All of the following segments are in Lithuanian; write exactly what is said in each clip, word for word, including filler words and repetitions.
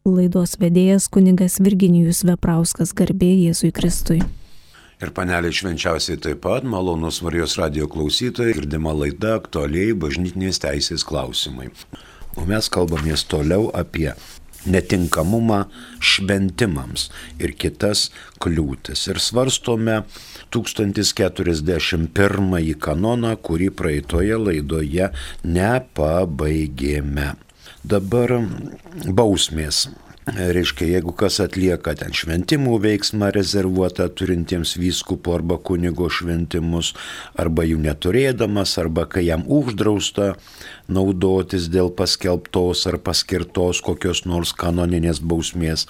Laidos vedėjas kunigas Virginijus Veprauskas, garbė Jėzui Kristui. Ir paneliai švenčiausiai taip pat, malonus Marijos radijo klausytojai, girdima laida aktualiai bažnytinės teisės klausimai. O mes kalbamės toliau apie netinkamumą šventimams ir kitas kliūtis. Ir svarstome tūkstantis keturiasdešimt pirmąjį kanoną, kurį praeitoje laidoje nepabaigėme. Dabar bausmės. Reiškia, jeigu kas atlieka ten šventimų veiksmą rezervuotą turintiems vyskupo arba kunigo šventimus, arba jų neturėdamas, arba kai jam uždrausta naudotis dėl paskelbtos ar paskirtos kokios nors kanoninės bausmės.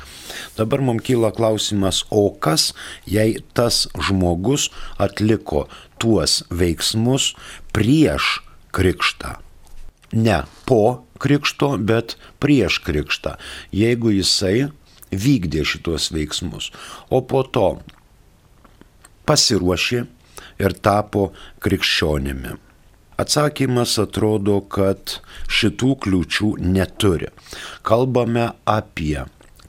Dabar mums kyla klausimas, o kas, jei tas žmogus atliko tuos veiksmus prieš krikštą? Ne po krikšto, bet prieš krikštą, jeigu jisai vykdė šitos veiksmus, o po to pasiruošė ir tapo krikščionimi. Atsakymas atrodo, kad šitų kliūčių neturi. Kalbame apie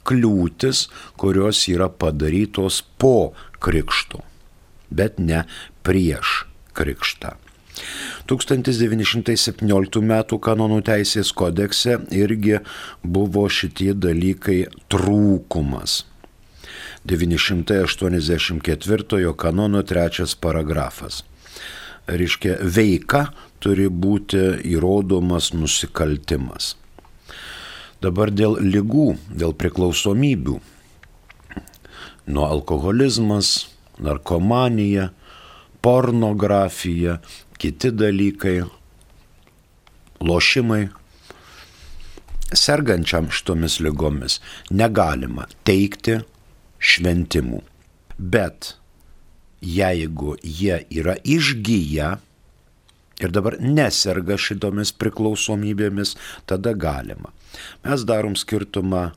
kliūtis, kurios yra padarytos po krikšto, bet ne prieš krikštą. tūkstantis devyni šimtai septynioliktų metų kanonų teisės kodekse irgi buvo šitie dalykai trūkumas. devyni šimtai aštuoniasdešimt ketvirtojo kanono trečias paragrafas. Reiškia, veika turi būti įrodomas nusikaltimas. Dabar dėl ligų, dėl priklausomybių. Nuo alkoholizmas, narkomanija, pornografija, kiti dalykai, lošimai. Sergančiam šitomis ligomis negalima teikti šventimų. Bet jeigu jie yra išgyję ir dabar neserga šitomis priklausomybėmis, tada galima. Mes darom skirtumą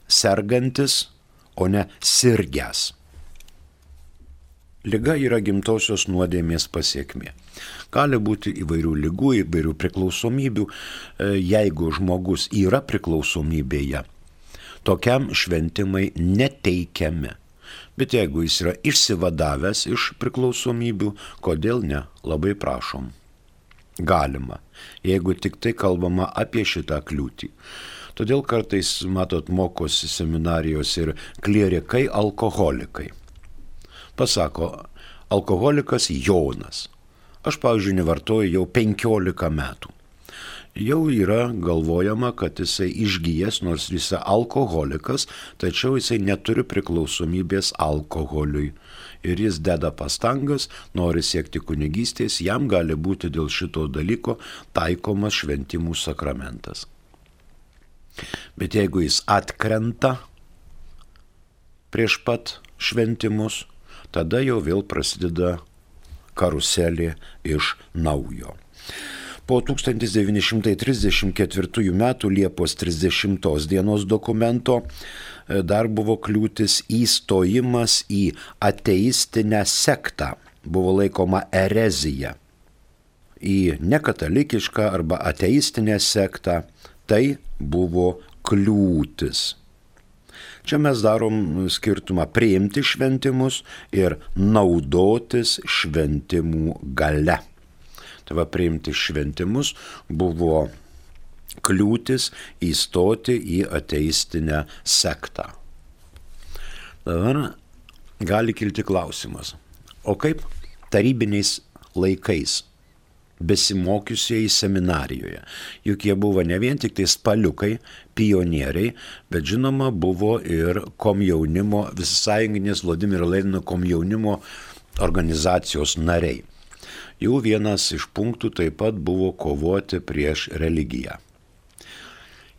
sergantis, o ne sirgęs. Liga yra gimtosios nuodėmės pasiekmė. Gali būti įvairių ligų, įvairių priklausomybių. Jeigu žmogus yra priklausomybėje, tokiam šventimai neteikiami. Bet jeigu jis yra išsivadavęs iš priklausomybių, kodėl ne? Labai prašom. Galima, jeigu tik tai kalbama apie šitą kliūtį. Todėl kartais, matot, mokosi seminarijos ir klierikai alkoholikai. Pasako, alkoholikas Jonas. Aš, pavyzdžiui, nevartoju jau penkiolika metų. Jau yra galvojama, kad jisai išgyjęs, nors jisai alkoholikas, tačiau jisai neturi priklausomybės alkoholiui. Ir jis deda pastangas, nori siekti kunigystės, jam gali būti dėl šito dalyko taikomas šventimų sakramentas. Bet jeigu jis atkrenta prieš pat šventimus, tada jau vėl prasideda karuselė iš naujo. Po tūkstantis devyni šimtai trisdešimt ketvirtųjų metų Liepos trisdešimtos dienos dokumento dar buvo kliūtis įstojimas į ateistinę sektą. Buvo laikoma erezija. Į nekatalikišką arba ateistinę sektą tai buvo kliūtis. Čia mes darom skirtumą priimti šventimus ir naudotis šventimų gale. Tai va, priimti šventimus buvo kliūtis įstoti į ateistinę sektą. Dabar gali kilti klausimas, o kaip tarybiniais laikais besimokiusieji seminarijoje. Juk jie buvo ne vien tik tai spaliukai, pionieriai, bet žinoma buvo ir komjaunimo, Visasąjunginės Vladimiro Lenino komjaunimo organizacijos nariai. Jų vienas iš punktų taip pat buvo kovoti prieš religiją.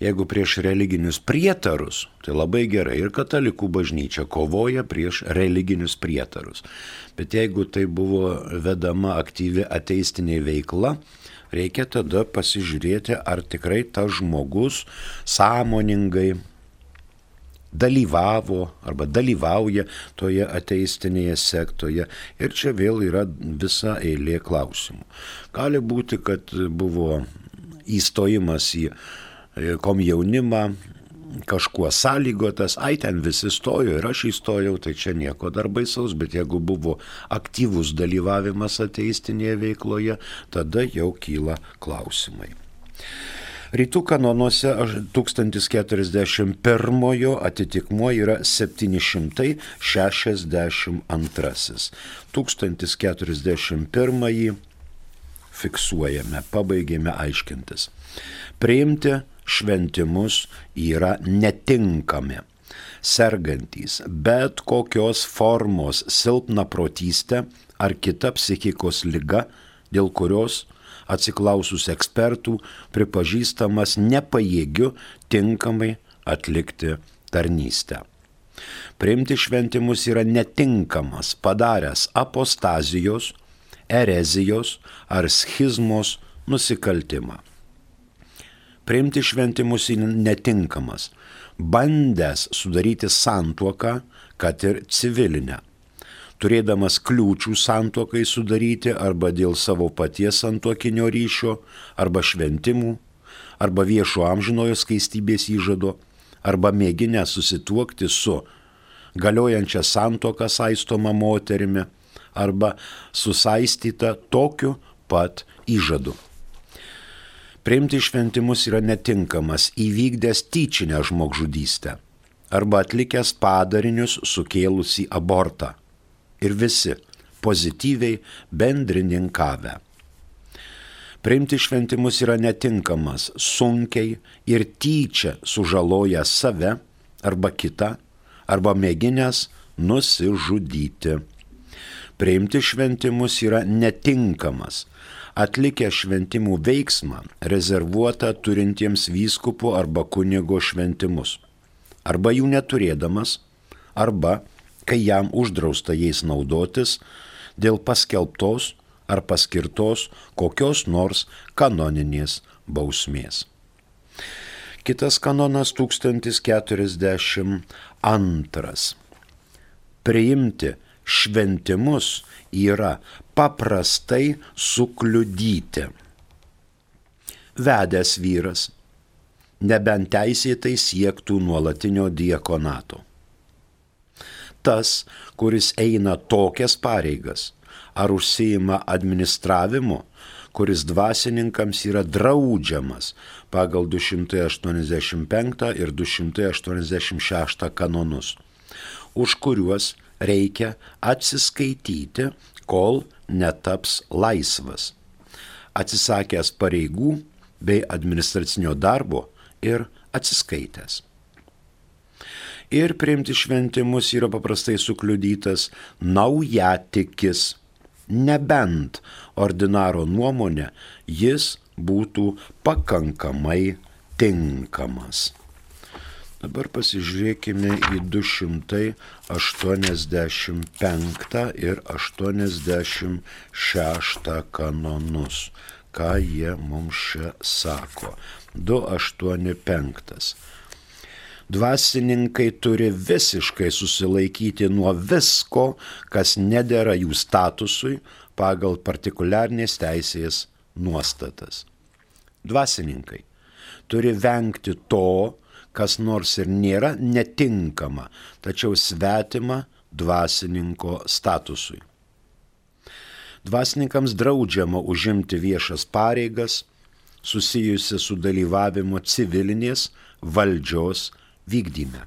Jeigu prieš religinius prietarus, tai labai gerai, ir katalikų bažnyčia kovoja prieš religinius prietarus. Bet jeigu tai buvo vedama aktyvi ateistinė veikla, reikia tada pasižiūrėti, ar tikrai tas žmogus sąmoningai dalyvavo arba dalyvauja toje ateistinėje sektoje. Ir čia vėl yra visa eilė klausimų. Gali būti, kad buvo įstojimas į komjaunimą kažkuo sąlygotas, ai ten visi stojo ir aš įstojau, tai čia nieko dar baisaus, bet jeigu buvo aktyvus dalyvavimas ateistinėje veikloje, tada jau kyla klausimai. Rytų kanonuose tūkstantis keturiasdešimt pirmojo atitikmuo yra septyni šimtai šešiasdešimt antrasis. tūkstantis keturiasdešimt pirmąjį fiksuojame, pabaigėme aiškintis. Priimti šventimus yra netinkami. Sergantys bet kokios formos silpna protystė ar kita psichikos liga, dėl kurios atsiklausus ekspertų pripažįstamas nepajėgiu tinkamai atlikti tarnystę. Priimti šventimus yra netinkamas padaręs apostazijos, erezijos ar schizmos nusikaltimą. Priimti šventimus yra netinkamas bandęs sudaryti santuoką, kad ir civilinę, turėdamas kliūčių santuokai sudaryti arba dėl savo paties santuokinio ryšio, arba šventimų, arba viešo amžinojo skaistybės įžado, arba mėginę susituokti su galiojančia santuoka saistoma moterimi, arba susaistyta tokiu pat įžadu. Priimti šventimus yra netinkamas įvykdęs tyčinę žmogžudystę arba atlikęs padarinius sukėlusį abortą. Ir visi pozityviai bendrininkavę. Priimti šventimus yra netinkamas sunkiai ir tyčia sužaloja save arba kitą, arba mėginęs nusižudyti. Priimti šventimus yra netinkamas atlikę šventimų veiksmą rezervuotą turintiems vyskupo arba kunigo šventimus, arba jų neturėdamas, arba kai jam uždrausta jais naudotis dėl paskelbtos ar paskirtos kokios nors kanoninės bausmės. Kitas kanonas tūkstantis keturiasdešimt antras. Priimti šventimus yra paprastai sukliudyti. Vedęs vyras, nebent teisėtai siektų nuolatinio diakonato. Tas, kuris eina tokias pareigas, ar užsiima administravimu, kuris dvasininkams yra draudžiamas pagal du šimtai aštuoniasdešimt penktą ir du šimtai aštuoniasdešimt šeštą kanonus, už kuriuos reikia atsiskaityti, kol netaps laisvas, atsisakęs pareigų bei administracinio darbo ir atsiskaitęs. Ir priimti šventimus yra paprastai sukliudytas naujatikis, nebent ordinaro nuomonė jis būtų pakankamai tinkamas. Dabar pasižiūrėkime į du šimtai aštuoniasdešimt penktą ir aštuoniasdešimt šeštą kanonus. Ką jie mums čia sako? du aštuoni penktas. Dvasininkai turi visiškai susilaikyti nuo visko, kas nedera jų statusui pagal partikuliarnės teisės nuostatas. Dvasininkai turi vengti to, kas nors ir nėra netinkama, tačiau svetima dvasininko statusui. Dvasininkams draudžiama užimti viešas pareigas, susijusi su dalyvavimu civilinės valdžios vykdyme.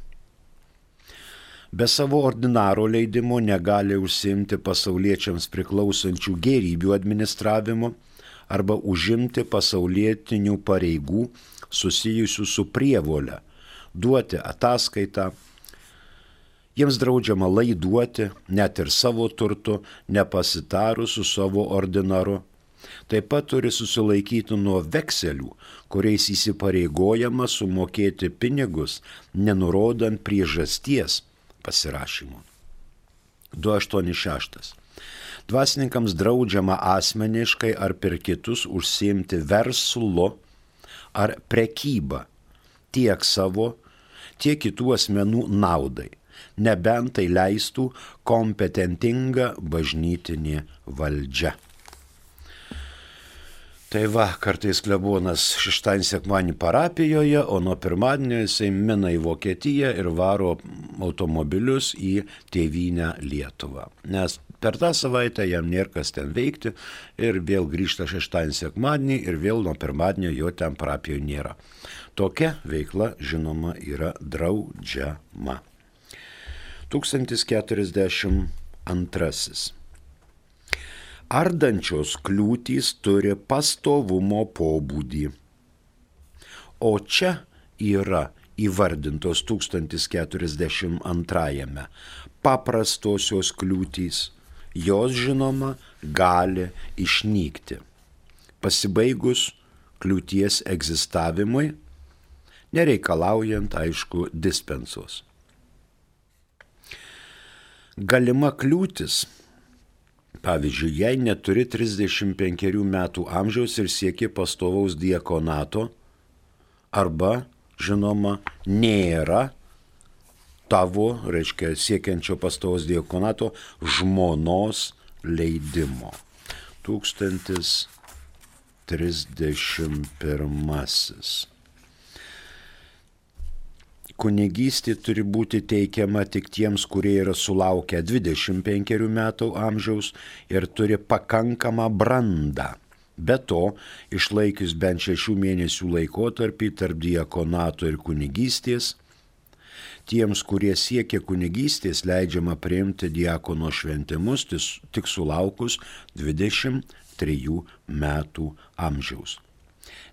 Be savo ordinaro leidimo negali užsiimti pasauliečiams priklausančių gėrybių administravimu arba užimti pasaulietinių pareigų susijusių su prievolė, duoti ataskaitą. Jiems draudžiama laiduoti net ir savo turtu, nepasitarus su savo ordinaru. Taip pat turi susilaikyti nuo vekselių, kuriais įsipareigojama sumokėti pinigus, nenurodant priežasties pasirašymo. du aštuoni šeštas. Dvasininkams draudžiama asmeniškai ar per kitus užsiimti verslu ar prekybą tiek savo, tiek kitų asmenų naudai, nebent tai leistų kompetentinga bažnytinė valdžia. Tai va, kartais klebonas šeštadienį sekmadienį parapijoje, o nuo pirmadienio jisai mina į Vokietiją ir varo automobilius į tėvynę Lietuvą. Nes per tą savaitę jam nėra kas ten veikti ir vėl grįžta šeštadienį sekmadienį ir vėl nuo pirmadienio jo ten parapijoje nėra. Tokia veikla, žinoma, yra draudžiama. tūkstantis keturiasdešimt antrasis. Ardančios kliūtys turi pastovumo pobūdį. O čia yra įvardintos tūkstantis keturiasdešimt antrajame paprastosios kliūtys. Jos, žinoma, gali išnykti. Pasibaigus kliūties egzistavimui, nereikalaujant, aišku, dispensos. Galima kliūtis. Pavyzdžiui, jei neturi trisdešimt penkerių metų amžiaus ir sieki pastovaus diakonato, arba, žinoma, nėra tavo, reiškia, siekiančio pastovaus diakonato žmonos leidimo. Tūkstantis trisdešimt pirmasis. Kunigystė turi būti teikiama tik tiems, kurie yra sulaukę dvidešimt penkerių metų amžiaus ir turi pakankamą brandą. Be to, išlaikius bent šešių mėnesių laikotarpį tarp diakonato ir kunigystės, tiems, kurie siekia kunigystės, leidžiama priimti diakono šventimus tik sulaukus dvidešimt trijų metų amžiaus.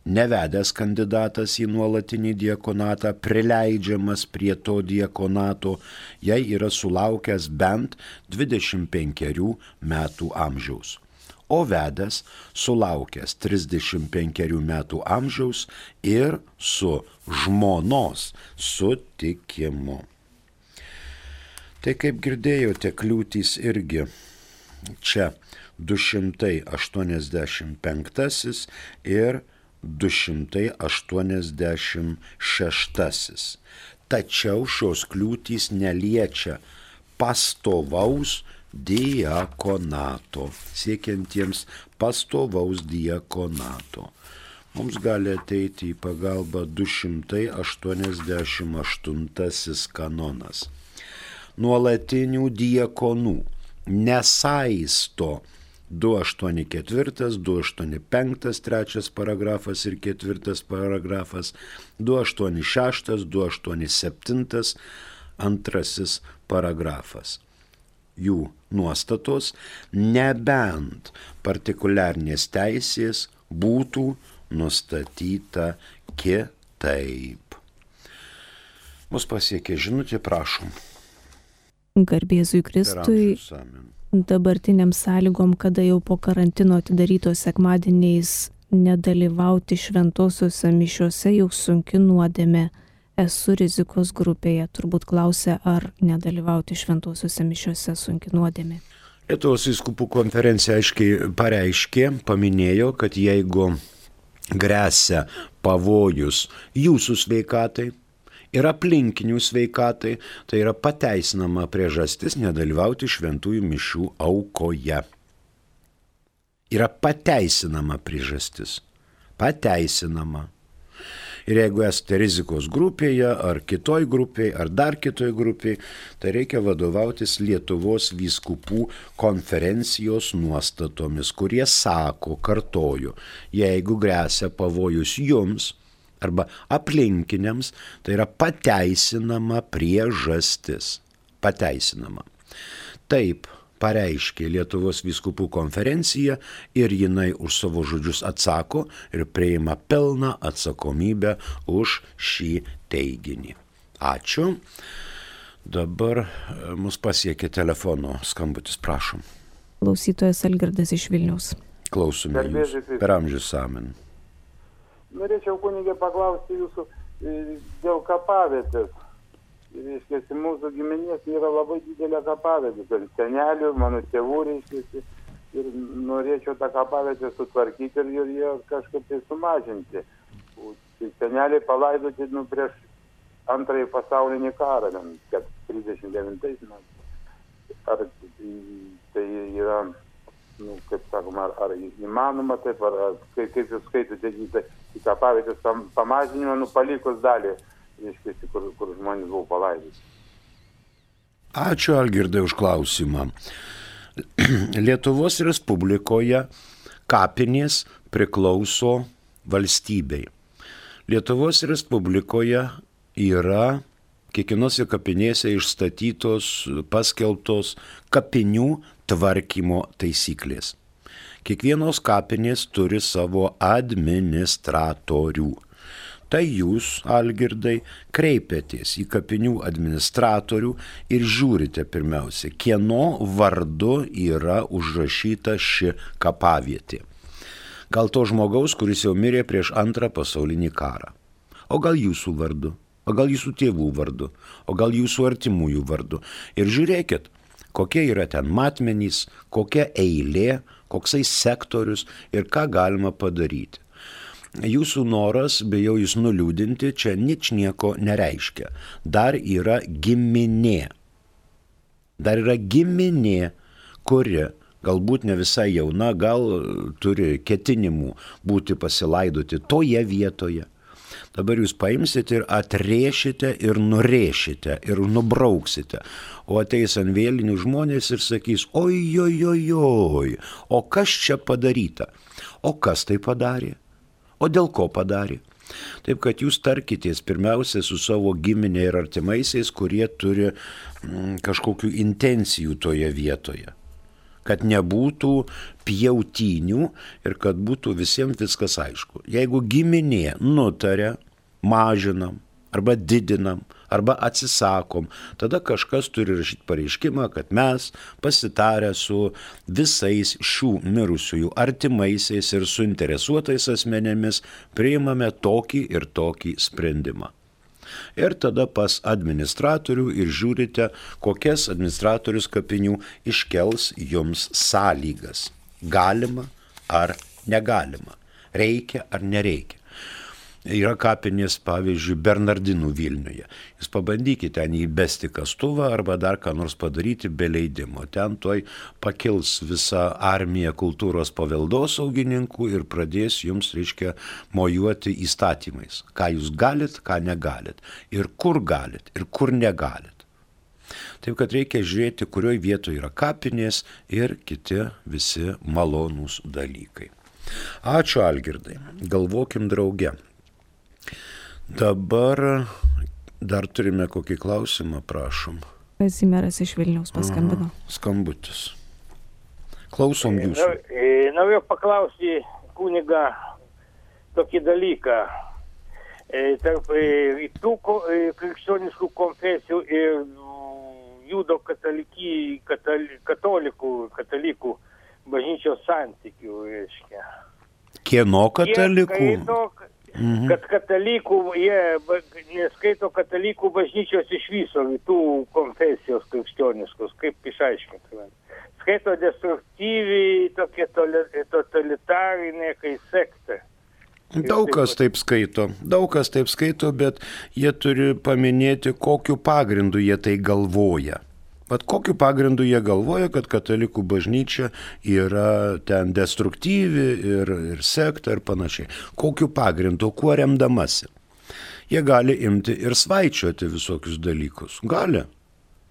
Nevedęs kandidatas į nuolatinį diakonatą prileidžiamas prie to diakonato, jei yra sulaukęs bent dvidešimt penkerių metų amžiaus. O vedęs sulaukęs trisdešimt penkerių metų amžiaus ir su žmonos sutikimu. Tai kaip girdėjote, kliūtys irgi čia du šimtai aštuoniasdešimt penktasis ir du šimtai aštuoniasdešimt šeštasis. Tačiau šios kliūtys neliečia pastovaus diakonato, siekiantiems pastovaus diakonato. Mums gali ateiti į pagalbą du šimtai aštuoniasdešimt aštuntasis kanonas. Nuolatinių diakonų nesaisto du aštuoni keturi, du aštuoni penki, trečias paragrafas ir ketvirtas paragrafas, du aštuoni šeši, du aštuoni septyni, antrasis paragrafas. Jų nuostatos, nebent partikuliarnės teisės būtų nustatyta kitaip. Mus pasiekė žinutė, prašom. Garbėzui Kristui. Dabartiniam sąlygom, kada jau po karantino atidarytos sekmadieniais nedalyvauti šventosiuose mišiuose jau sunki nuodėmė. Esu rizikos grupėje. Turbūt klausia, ar nedalyvauti šventosiuose mišiuose sunki nuodėmė. Lietuvos vyskupų konferencija aiškiai pareiškė, paminėjo, kad jeigu gresia pavojus jūsų sveikatai ir aplinkinių sveikatai, tai yra pateisinama priežastis nedalyvauti šventųjų mišių aukoje. Yra pateisinama priežastis. Pateisinama. Ir jeigu esate rizikos grupėje, ar kitoj grupėje, ar dar kitoj grupėje, tai reikia vadovautis Lietuvos vyskupų konferencijos nuostatomis, kurie sako, kartoju, jeigu gresia pavojus jums, arba aplinkiniams, tai yra pateisinama priežastis. Pateisinama. Taip pareiškė Lietuvos vyskupų konferencija ir jinai už savo žodžius atsako ir priima pilną atsakomybę už šį teiginį. Ačiū. Dabar mus pasiekė telefono skambutis, prašom. Klausytojas Algirdas iš Vilniaus. Klausome jūs. Per amžius amen. Norėčiau, kunigė, paklausti jūsų dėl kapavietės. Reiškiasi, mūsų giminės yra labai didelė kapavietė. Tai senelių, mano tėvų, reiškiasi, ir norėčiau tą kapavietę sutvarkyti ir, ir ją kažkaip tai sumažinti. Tai seneliai palaidoti nu, prieš antrąjį pasaulinį karą, kad trisdešimt devintais metais. Ar tai yra nu, kaip sakoma, ar, ar įmanoma taip, ar, ar kaip, kaip jūs skaitote į, į kapavietės pam, pamažinimą, nu, palikus dalį, reiškia, kur, kur žmonės buvo palaidyti. Ačiū, Algirdai, už klausimą. Lietuvos Respublikoje kapinės priklauso valstybei. Lietuvos Respublikoje yra kiekvienose kapinėse išstatytos, paskelbtos kapinių tvarkymo taisyklės. Kiekvienos kapinės turi savo administratorių. Tai jūs, Algirdai, kreipiatės į kapinių administratorių ir žiūrite pirmiausia, kieno vardu yra užrašyta ši kapavietė. Gal to žmogaus, kuris jau mirė prieš antrą pasaulinį karą. O gal jūsų vardu, o gal jūsų tėvų vardu, o gal jūsų artimųjų vardu. Ir žiūrėkit, kokie yra ten matmenys, kokia eilė, koksai sektorius ir ką galima padaryti. Jūsų noras, bijau jūs nuliūdinti, čia ničnieko nereiškia. Dar yra giminė. Dar yra giminė, kuri galbūt ne visai jauna, gal turi ketinimų būti pasilaidoti toje vietoje. Dabar jūs paimsite ir atrėšite ir nurėšite ir nubrauksite. O ateis ant vėlinių žmonės ir sakys, oi, oi, oi, oi, o kas čia padaryta? O kas tai padarė? O dėl ko padarė? Taip, kad jūs tarkitės pirmiausia su savo giminė ir artimaisiais, kurie turi mm, kažkokių intencijų toje vietoje. Kad nebūtų pjautynių ir kad būtų visiems viskas aišku. Jeigu giminė nutarė, mažinam arba didinam arba atsisakom, tada kažkas turi rašyti pareiškimą, kad mes pasitarę su visais šių mirusiųjų artimaisiais ir suinteresuotais asmenėmis priimame tokį ir tokį sprendimą. Ir tada pas administratorių ir žiūrite, kokias administratorius kapinių iškels jums sąlygas. Galima ar negalima, reikia ar nereikia. Yra kapinės, pavyzdžiui, Bernardinų Vilniuje. Jūs pabandykite ten įbesti kastuvą arba dar ką nors padaryti be leidimo. Ten toj pakils visa armija kultūros paveldosaugininkų ir pradės jums, reiškia, mojuoti įstatymais. Ką jūs galit, ką negalit. Ir kur galit, ir kur negalit. Taip, kad reikia žiūrėti, kurioj vietoje yra kapinės ir kiti visi malonūs dalykai. Ačiū, Algirdai. Galvokim drauge. Dabar dar turime kokį klausimą, prašom. Kazimieras iš Vilniaus paskambino. Aha, skambutis. Klausom jūsų. Norėjau paklausti kunigą tokį dalyką. Tarp tų krikščioniškų konfesijų ir judo katalikų, katalikų, katalikų bažnyčios santykių, reiškia. Kieno katalikų? Jie skaito, mhm. kad katalikų, jie neskaito katalikų bažnyčios iš viso, tų konfesijos krikščioniškos, kaip išaiškintume. Skaito destruktyviai, tokie totalitarinė, kai sekta. Daug kas taip skaito, daug kas taip skaito, bet jie turi paminėti, kokiu pagrindu jie tai galvoja. Vat kokiu pagrindu jie galvoja, kad katalikų bažnyčia yra ten destruktyvi ir, ir sekta ir panašiai. Kokiu pagrindu, kuo remdamasi. Jie gali imti ir svaičiuoti visokius dalykus. Gali.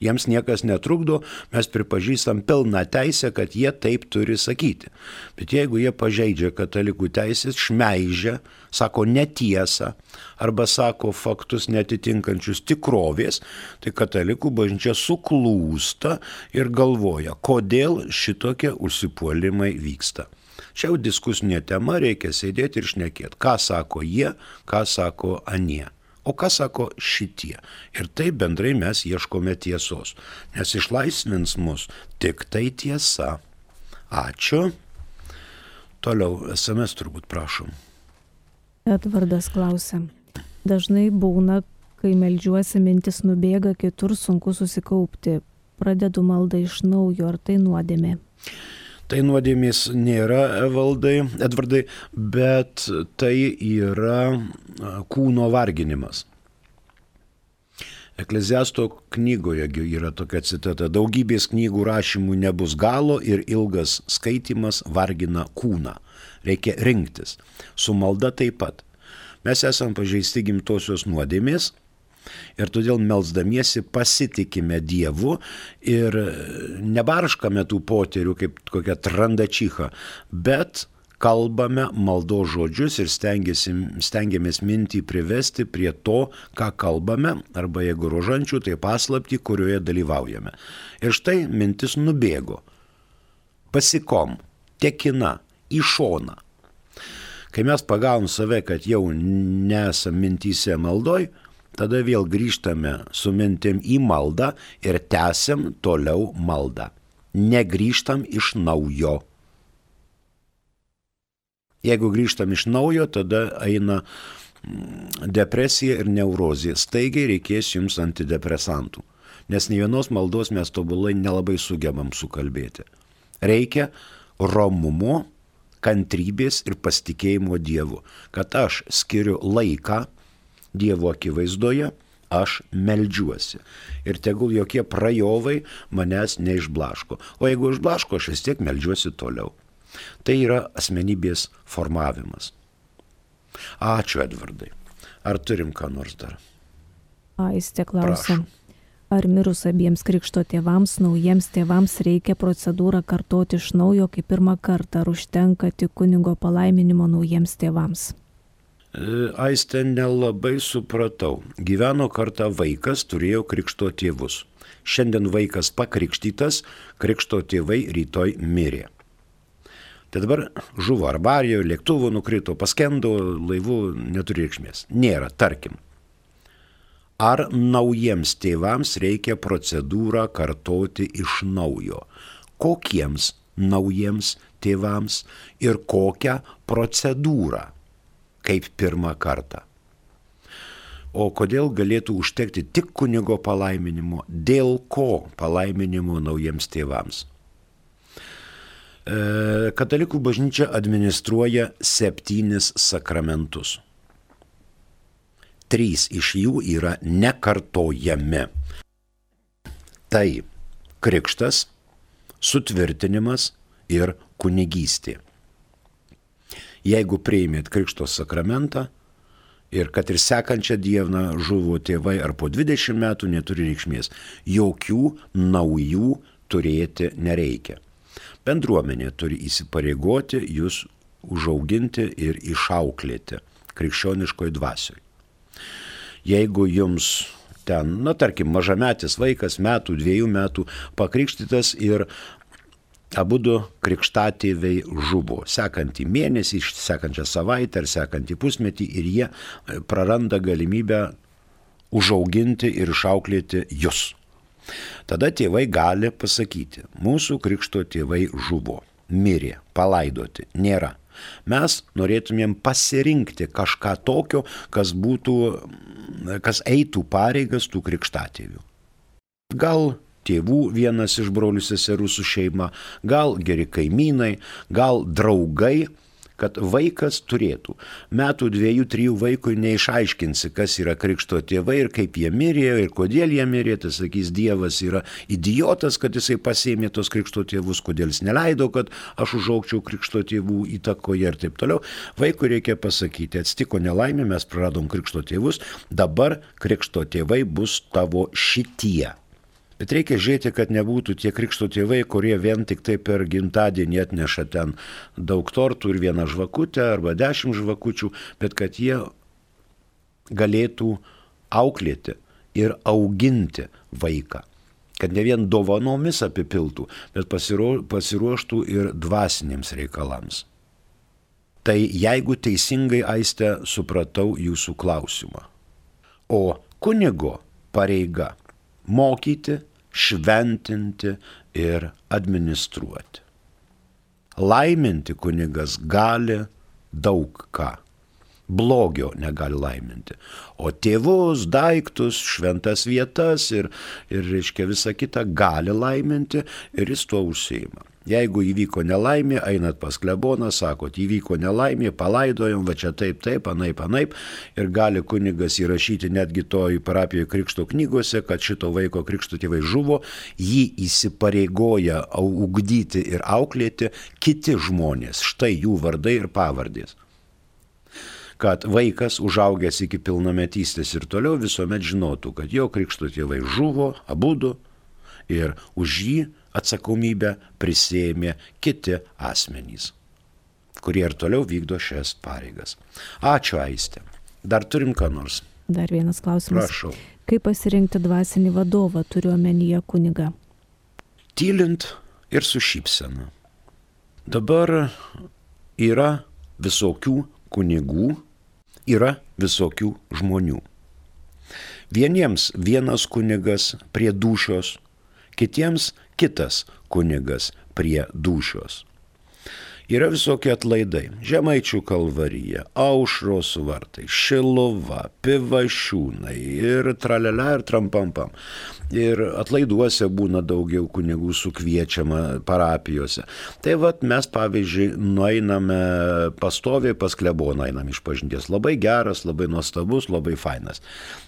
Jiems niekas netrukdo, mes pripažįstam pilną teisę, kad jie taip turi sakyti. Bet jeigu jie pažeidžia katalikų teisės, šmeižia, sako netiesą arba sako faktus netitinkančius tikrovės, tai katalikų bažnyčia suklūsta ir galvoja, kodėl šitokie užsipuolimai vyksta. Čia jau diskusinė tema, reikia sėdėti ir šnekėti, ką sako jie, ką sako anie. O ką sako šitie? Ir taip bendrai mes ieškome tiesos, nes išlaisvins mus tik tai tiesa. Ačiū. Toliau, es em es turbūt prašom. Edvardas klausia. Dažnai būna, kai meldžiuosi, mintis nubėga, kitur sunku susikaupti. Pradedu maldą iš naujo, ar tai nuodėmė? Tai nuodėmės nėra, Evaldai, Edvardai, bet tai yra kūno varginimas. Ekleziasto knygoje yra tokia citata: daugybės knygų rašymų nebus galo ir ilgas skaitimas vargina kūną. Reikia rinktis. Su malda taip pat. Mes esam pažeisti gimtosios nuodėmės ir todėl melsdamiesi pasitikime Dievu ir nebarškame tų poterių kaip kokia trandačycha, bet kalbame maldos žodžius ir stengiamės mintį privesti prie to, ką kalbame, arba jeigu rožančių, tai paslaptį, kurioje dalyvaujame. Ir štai mintis nubėgo. Pasikom, tekina, į šoną. Kai mes pagavom save, kad jau nesam mintyse maldoj, tada vėl grįžtame su mintim į maldą ir tęsiam toliau maldą. Negrįžtam iš naujo. Jeigu grįžtam iš naujo, tada eina depresija ir neurozija. Staigiai reikės jums antidepresantų, nes nei vienos maldos mes tobulai nelabai sugebam sukalbėti. Reikia romumo, kantrybės ir pasitikėjimo Dievu, kad aš skiriu laiką Dievo akivaizdoje, aš meldžiuosi. Ir tegul jokie prajovai manęs neišblaško. O jeigu išblaško, aš vis tiek meldžiuosi toliau. Tai yra asmenybės formavimas. Ačiū, Edvardai. Ar turim ką nors dar? Aistė klausia. Ar mirus abiems krikšto tėvams, naujiems tėvams reikia procedūrą kartoti iš naujo kaip pirmą kartą, ar užtenka tik kunigo palaiminimo naujiems tėvams? Aistė, nelabai supratau. Gyveno kartą vaikas, turėjo krikšto tėvus. Šiandien vaikas pakrikštytas, krikšto tėvai rytoj mirė. Tai dabar žuvo arbarijoje, lėktuvo nukrito, paskendo, laivų, neturi reikšmės. Nėra, tarkim. Ar naujiems tėvams reikia procedūrą kartoti iš naujo? Kokiems naujiems tėvams ir kokią procedūrą kaip pirmą kartą? O kodėl galėtų užtekti tik kunigo palaiminimo? Dėl ko palaiminimo naujiems tėvams? Katalikų bažnyčia administruoja septynis sakramentus. Trys iš jų yra nekartojami. Tai krikštas, sutvirtinimas ir kunigystė. Jeigu priėmėt krikšto sakramentą ir kad ir sekančią dieną žuvo tėvai ar po dvidešimt metų, neturi reikšmės. Jokių naujų turėti nereikia. Bendruomenė turi įsipareigoti jūs užauginti ir išauklėti krikščioniškoj dvasioj. Jeigu jums ten, na tarkim, mažametis vaikas, metų, dviejų metų, pakrikštytas ir abudu krikštatėviai žuvo, sekantį mėnesį, sekančią savaitę ar sekantį pusmetį, ir jie praranda galimybę užauginti ir išauklėti jūs. Tada tėvai gali pasakyti, mūsų krikšto tėvai žuvo, mirė, palaidoti, nėra. Mes norėtumėm pasirinkti kažką tokio, kas būtų, kas eitų pareigas tų krikštatėvių. Gal tėvų vienas iš brolių seserų su šeima, gal geri kaimynai, gal draugai, kad vaikas turėtų. Metų dviejų, trijų vaikui neišaiškinsi, kas yra krikšto tėvai ir kaip jie mirė ir kodėl jie mirė. Tai sakys, Dievas yra idiotas, kad jisai pasėmė tos krikšto tėvus, kodėl jis neleido, kad aš užaugčiau krikšto tėvų įtakoje ir taip toliau. Vaikui reikia pasakyti, atsitiko nelaimė, mes praradom krikšto tėvus, dabar krikšto tėvai bus tavo šitie. Bet reikia žiūrėti, kad nebūtų tie krikšto tėvai, kurie vien tik tai per gimtadienį atneša ten daug tortų ir vieną žvakutę arba dešimt žvakučių, bet kad jie galėtų auklėti ir auginti vaiką. Kad ne vien dovanomis apipiltų, bet pasiruoštų ir dvasiniams reikalams. Tai jeigu teisingai, Aiste, supratau jūsų klausimą. O kunigo pareiga mokyti, šventinti ir administruoti. Laiminti kunigas gali daug ką. blogio negali laiminti. O tėvus, daiktus, šventas vietas ir, ir reiškia, visą kitą gali laiminti ir jis tuo užsiima. Jeigu įvyko nelaimė, einat pas kleboną, sakot, įvyko nelaimė, palaidojom, va čia taip, taip, anaip, anaip, ir gali kunigas įrašyti netgi toj parapijoje krikšto knygose, kad šito vaiko krikšto tėvai žuvo, jį įsipareigoja ugdyti ir auklėti kiti žmonės, štai jų vardai ir pavardės. Kad vaikas, užaugęs iki pilnametystės ir toliau, visuomet žinotų, kad jo krikšto tėvai žuvo, abudu, ir už jį atsakomybę prisėmė kiti asmenys, kurie ir toliau vykdo šias pareigas. Ačiū, Aiste. Dar turim ką nors? Dar vienas klausimas. Prašau. Kaip pasirinkti dvasinį vadovą, turiu omenyje kunigą? Tylint ir su šypsena. Dabar yra visokių kunigų, yra visokių žmonių. Vieniems vienas kunigas prie dūšios, kitiems kitas kunigas prie dūšios. Yra visokie atlaidai. Žemaičių kalvarija, Aušros vartai, Šiluva, Pivašiūnai ir tralele ir trampampam. Ir atlaiduose būna daugiau kunigų sukviečiama parapijose. Tai vat mes, pavyzdžiui, nueiname pastoviai pas kleboną, einam iš pažinties. Labai geras, labai nuostabus, labai fainas.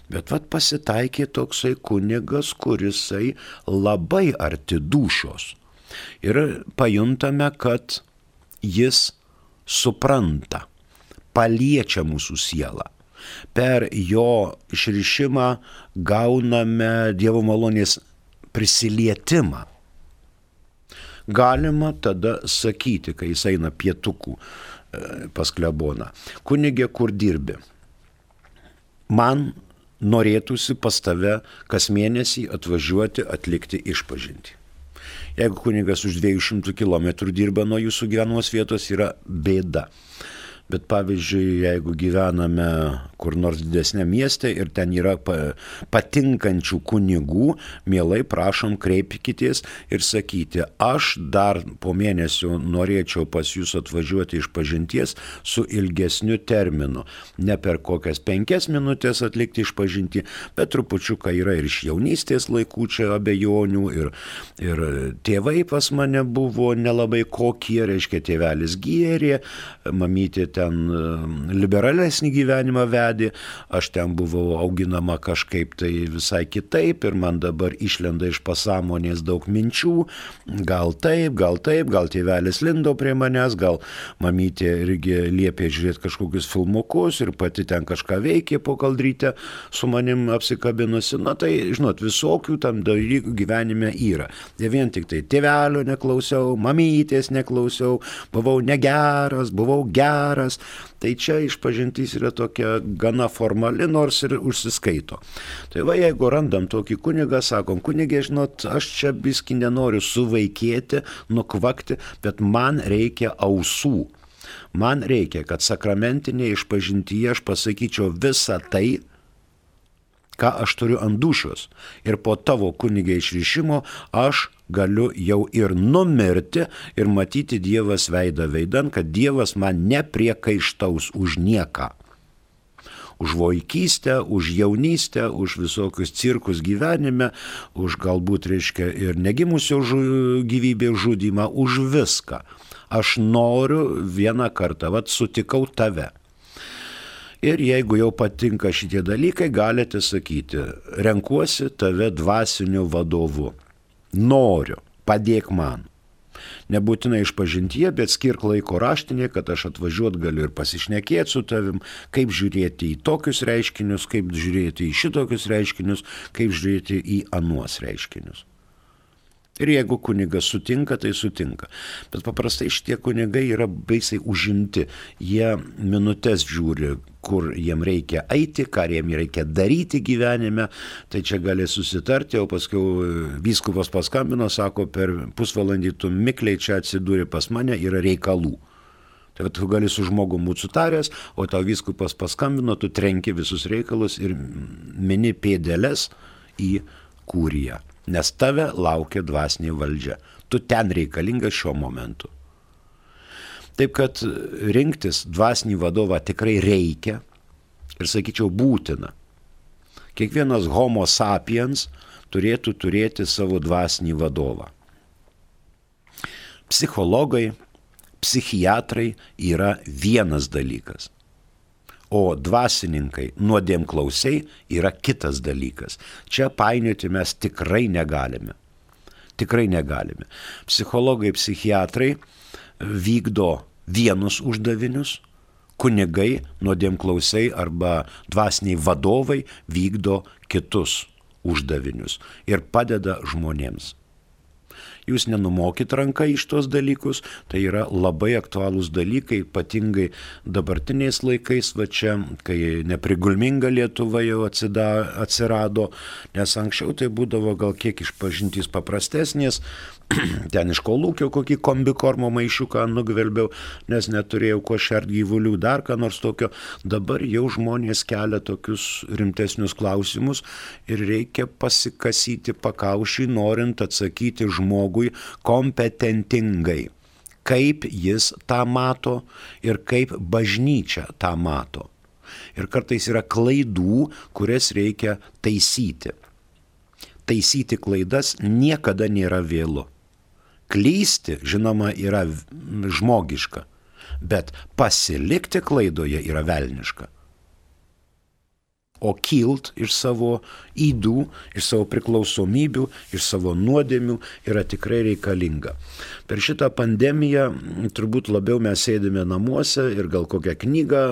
Bet vat pasitaikė toksai kunigas, kurisai labai arti dūšios. Ir pajuntame, kad jis supranta, paliečia mūsų sielą. Per jo išrišimą gauname Dievo malonės prisilietimą. Galima tada sakyti, kai jis eina pietukų pas kleboną, kunigė, kur dirbi? Man norėtųsi pas tave kas mėnesį atvažiuoti atlikti išpažintį. Jeigu kunigas už dviejų šimtų kilometrų dirba nuo jūsų gyvenamos vietos, yra bėda. Bet pavyzdžiui, jeigu gyvename kur nors didesnė mieste ir ten yra patinkančių kunigų, mielai prašom kreipkitės ir sakyti, aš dar po mėnesio norėčiau pas jūs atvažiuoti iš pažinties su ilgesniu terminu. Ne per kokias penkias minutės atlikti išpažintį, bet trupučiuką yra ir iš jaunystės laikų čia abejonių ir, ir tėvai pas mane buvo nelabai kokie, reiškia tėvelis gėrė, mamytė ten liberalesnį gyvenimą vedė, aš ten buvau auginama kažkaip tai visai kitaip ir man dabar išlenda iš pasąmonės daug minčių, gal taip, gal taip, gal tėvelis lindo prie manęs, gal mamytė irgi liepė žiūrėti kažkokius filmukus ir pati ten kažką veikė po kaldrytę su manim apsikabinusi. Na tai, žinot, visokių tam dalykų gyvenime yra. Ne vien tik tai tėvelio neklausiau, mamytės neklausiau, buvau negeras, buvau geras. Tai čia išpažintis yra tokia gana formali, nors ir užsiskaito. Tai va, jeigu randam tokį kunigą, sakom, kunigė, žinot, aš čia biskį nenoriu suvaikėti, nukvakti, bet man reikia ausų. Man reikia, kad sakramentinėje išpažintyje aš pasakyčiau visą tai, ką aš turiu ant dūšios. Ir po tavo kunigė išrišimo aš galiu jau ir numirti ir matyti Dievas veidą veidan, kad Dievas man nepriekaištaus už nieką. Už vaikystę, už jaunystę, už visokius cirkus gyvenime, už galbūt, reiškia, ir negimusio žu, gyvybės žudymą, už viską. Aš noriu vieną kartą, vat sutikau tave. Ir jeigu jau patinka šitie dalykai, galite sakyti, renkuosi tave dvasiniu vadovu. Noriu, padėk man. Nebūtinai išpažintyje, bet skirk laiko raštinėje, kad aš atvažiuot galiu ir pasišnekėti su tavim, kaip žiūrėti į tokius reiškinius, kaip žiūrėti į šitokius reiškinius, kaip žiūrėti į anuos reiškinius. Ir jeigu kunigas sutinka, tai sutinka. Bet paprastai šitie kunigai yra baisiai užimti. Jie minutės žiūri, kur jiem reikia eiti, ką jiem reikia daryti gyvenime. Tai čia gali susitarti, o paskui vyskupas paskambino, sako, per pusvalandį tu mikliai čia atsidūri pas mane, yra reikalų. Tai tu gali su žmogum būti sutaręs, o tau vyskupas paskambino, tu trenki visus reikalus ir mini pėdeles į kūriją. Nes tave laukia dvasinė valdžia. Tu ten reikalingas šiuo momentu. Taip kad rinktis dvasinį vadovą tikrai reikia ir, sakyčiau, būtina. Kiekvienas homo sapiens turėtų turėti savo dvasinį vadovą. Psichologai, psichiatrai yra vienas dalykas, o dvasininkai, nuodėmklausiai yra kitas dalykas. Čia painioti mes tikrai negalime. Tikrai negalime. Psichologai, psichiatrai vykdo vienus uždavinius, kunigai, nuodėmklausiai arba dvasiniai vadovai vykdo kitus uždavinius ir padeda žmonėms. Jūs nenumokit ranką iš tos dalykus, tai yra labai aktualūs dalykai, ypatingai dabartiniais laikais, va čia, kai neprigulminga Lietuva jau atsida, atsirado, nes anksčiau tai būdavo gal kiek išpažintys paprastesnės, ten iš kolūkio kokį kombikormo maišiuką nugvelbiau, nes neturėjau ko šert gyvulių, dar ką nors tokio. Dabar jau žmonės kelia tokius rimtesnius klausimus ir reikia pasikasyti pakaušį, norint atsakyti žmogui kompetentingai, kaip jis tą mato ir kaip bažnyčia tą mato. Ir kartais yra klaidų, kurias reikia taisyti. Taisyti klaidas niekada nėra vėlu. Klysti, žinoma, yra žmogiška, bet pasilikti klaidoje yra velniška. O kilt iš savo ydų, iš savo priklausomybių, iš savo nuodėmių yra tikrai reikalinga. Per šitą pandemiją turbūt labiau mes sėdime namuose ir gal kokią knygą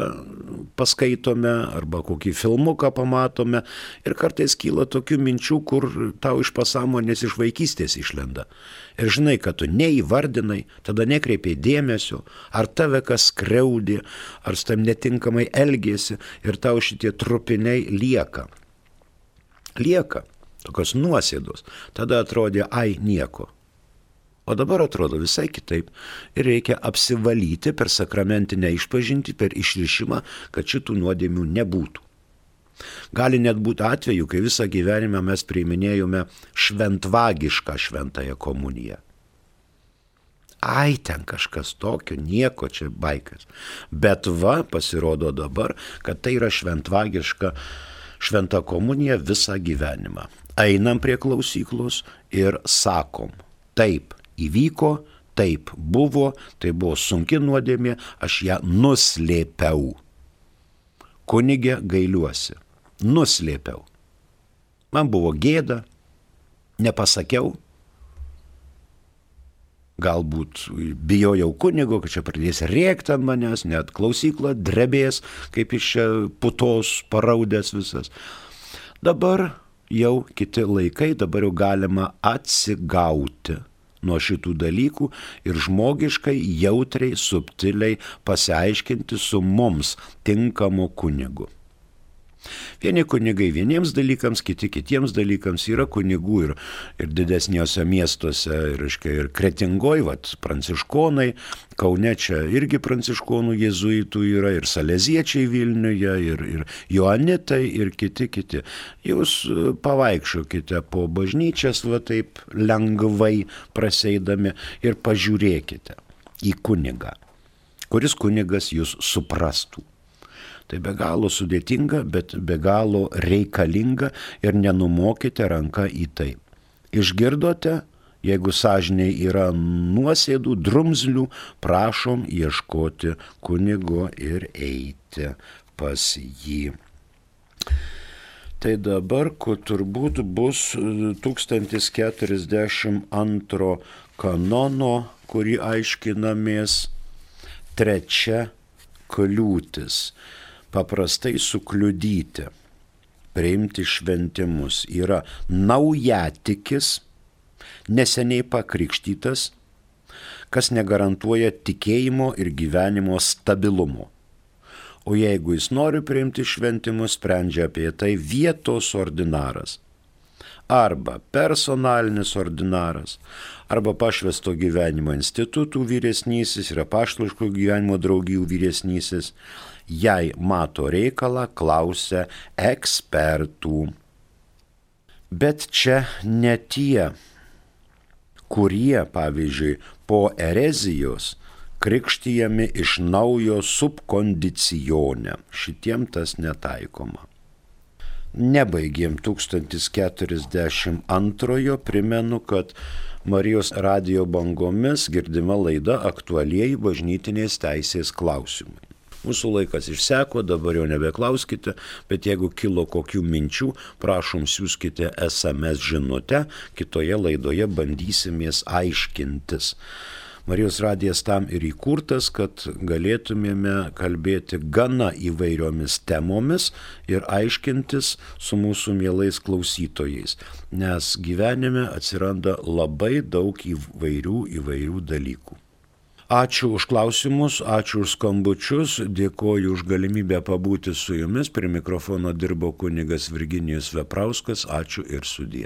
paskaitome arba kokį filmuką pamatome ir kartais kyla tokių minčių, kur tau iš pasąmonės iš vaikystės išlenda. Ir žinai, kad tu neįvardinai, tada nekreipiai dėmesio, ar tave kas skriaudė, ar su tam netinkamai elgėsi ir tau šitie trupiniai lieka. Lieka, tokios nuosėdos. Tada atrodė, ai, nieko. O dabar atrodo visai kitaip ir reikia apsivalyti per sakramentinę išpažintį, per išrišimą, kad šitų nuodėmių nebūtų. Gali net būti atveju, kai visą gyvenimą mes priiminėjome šventvagišką šventąją komuniją. Ai, ten kažkas tokio, nieko čia baikas. Bet va, pasirodo dabar, kad tai yra šventvagiška šventa komunija visą gyvenimą. Einam prie klausyklos ir sakom, taip įvyko, taip buvo, tai buvo sunki nuodėmė, aš ją nuslėpiau. Kunige gailiuosi. Nuslėpiau. Man buvo gėda, nepasakiau. Galbūt bijojau kunigo, kad čia pradės rėkti ant manęs, net klausykla drebės, kaip iš čia putos paraudės visas. Dabar jau kiti laikai, dabar jau galima atsigauti nuo šitų dalykų ir žmogiškai, jautriai, subtiliai pasiaiškinti su mums tinkamu kunigu. Vieni kunigai vieniems dalykams, kiti kitiems dalykams, yra kunigų ir, ir didesniuose miestuose, ir, ir Kretingoj, vat, pranciškonai, Kaune čia irgi pranciškonų jėzuitų yra, ir saleziečiai Vilniuje, ir, ir joanitai, ir kiti kiti. Jūs pavaikščiokite po bažnyčias, va taip lengvai praseidami ir pažiūrėkite į kunigą, kuris kunigas jūs suprastų. Tai be galo sudėtinga, bet be galo reikalinga ir nenumokite ranką į tai. Išgirdote, jeigu sąžiniai yra nuosėdų, drumzlių, prašom ieškoti kunigo ir eiti pas jį. Tai dabar, kur turbūt bus tūkstantis keturiasdešimt antro kanono, kurį aiškinamės, trečia kliūtis. Paprastai sukliudyti, priimti šventimus yra naujatikis, neseniai pakrikštytas, kas negarantuoja tikėjimo ir gyvenimo stabilumo. O jeigu jis nori priimti šventimus, sprendžia apie tai vietos ordinaras, arba personalinis ordinaras, arba pašvęsto gyvenimo institutų vyresnysis ir apaštališko gyvenimo draugijų vyresnysis. Jei mato reikalą, klausia ekspertų. Bet čia ne tie, kurie, pavyzdžiui, po erezijos krikštijami iš naujo subkondicione. Šitiem tas netaikoma. Nebaigėm tūkstantis keturiasdešimt antrojo, primenu, kad Marijos radijo bangomis girdima laida aktualieji bažnytinės teisės klausimai. Mūsų laikas išseko, dabar jau nebeklauskite, bet jeigu kilo kokių minčių, prašom siųskite es em es žinutę, kitoje laidoje bandysimės aiškintis. Marijos radijas tam ir įkurtas, kad galėtumėme kalbėti gana įvairiomis temomis ir aiškintis su mūsų mielais klausytojais, nes gyvenime atsiranda labai daug įvairių įvairių dalykų. Ačiū už klausimus, ačiū už skambučius, dėkoju už galimybę pabūti su jumis. Prie mikrofono dirbo kunigas Virginijus Veprauskas, ačiū ir sudie.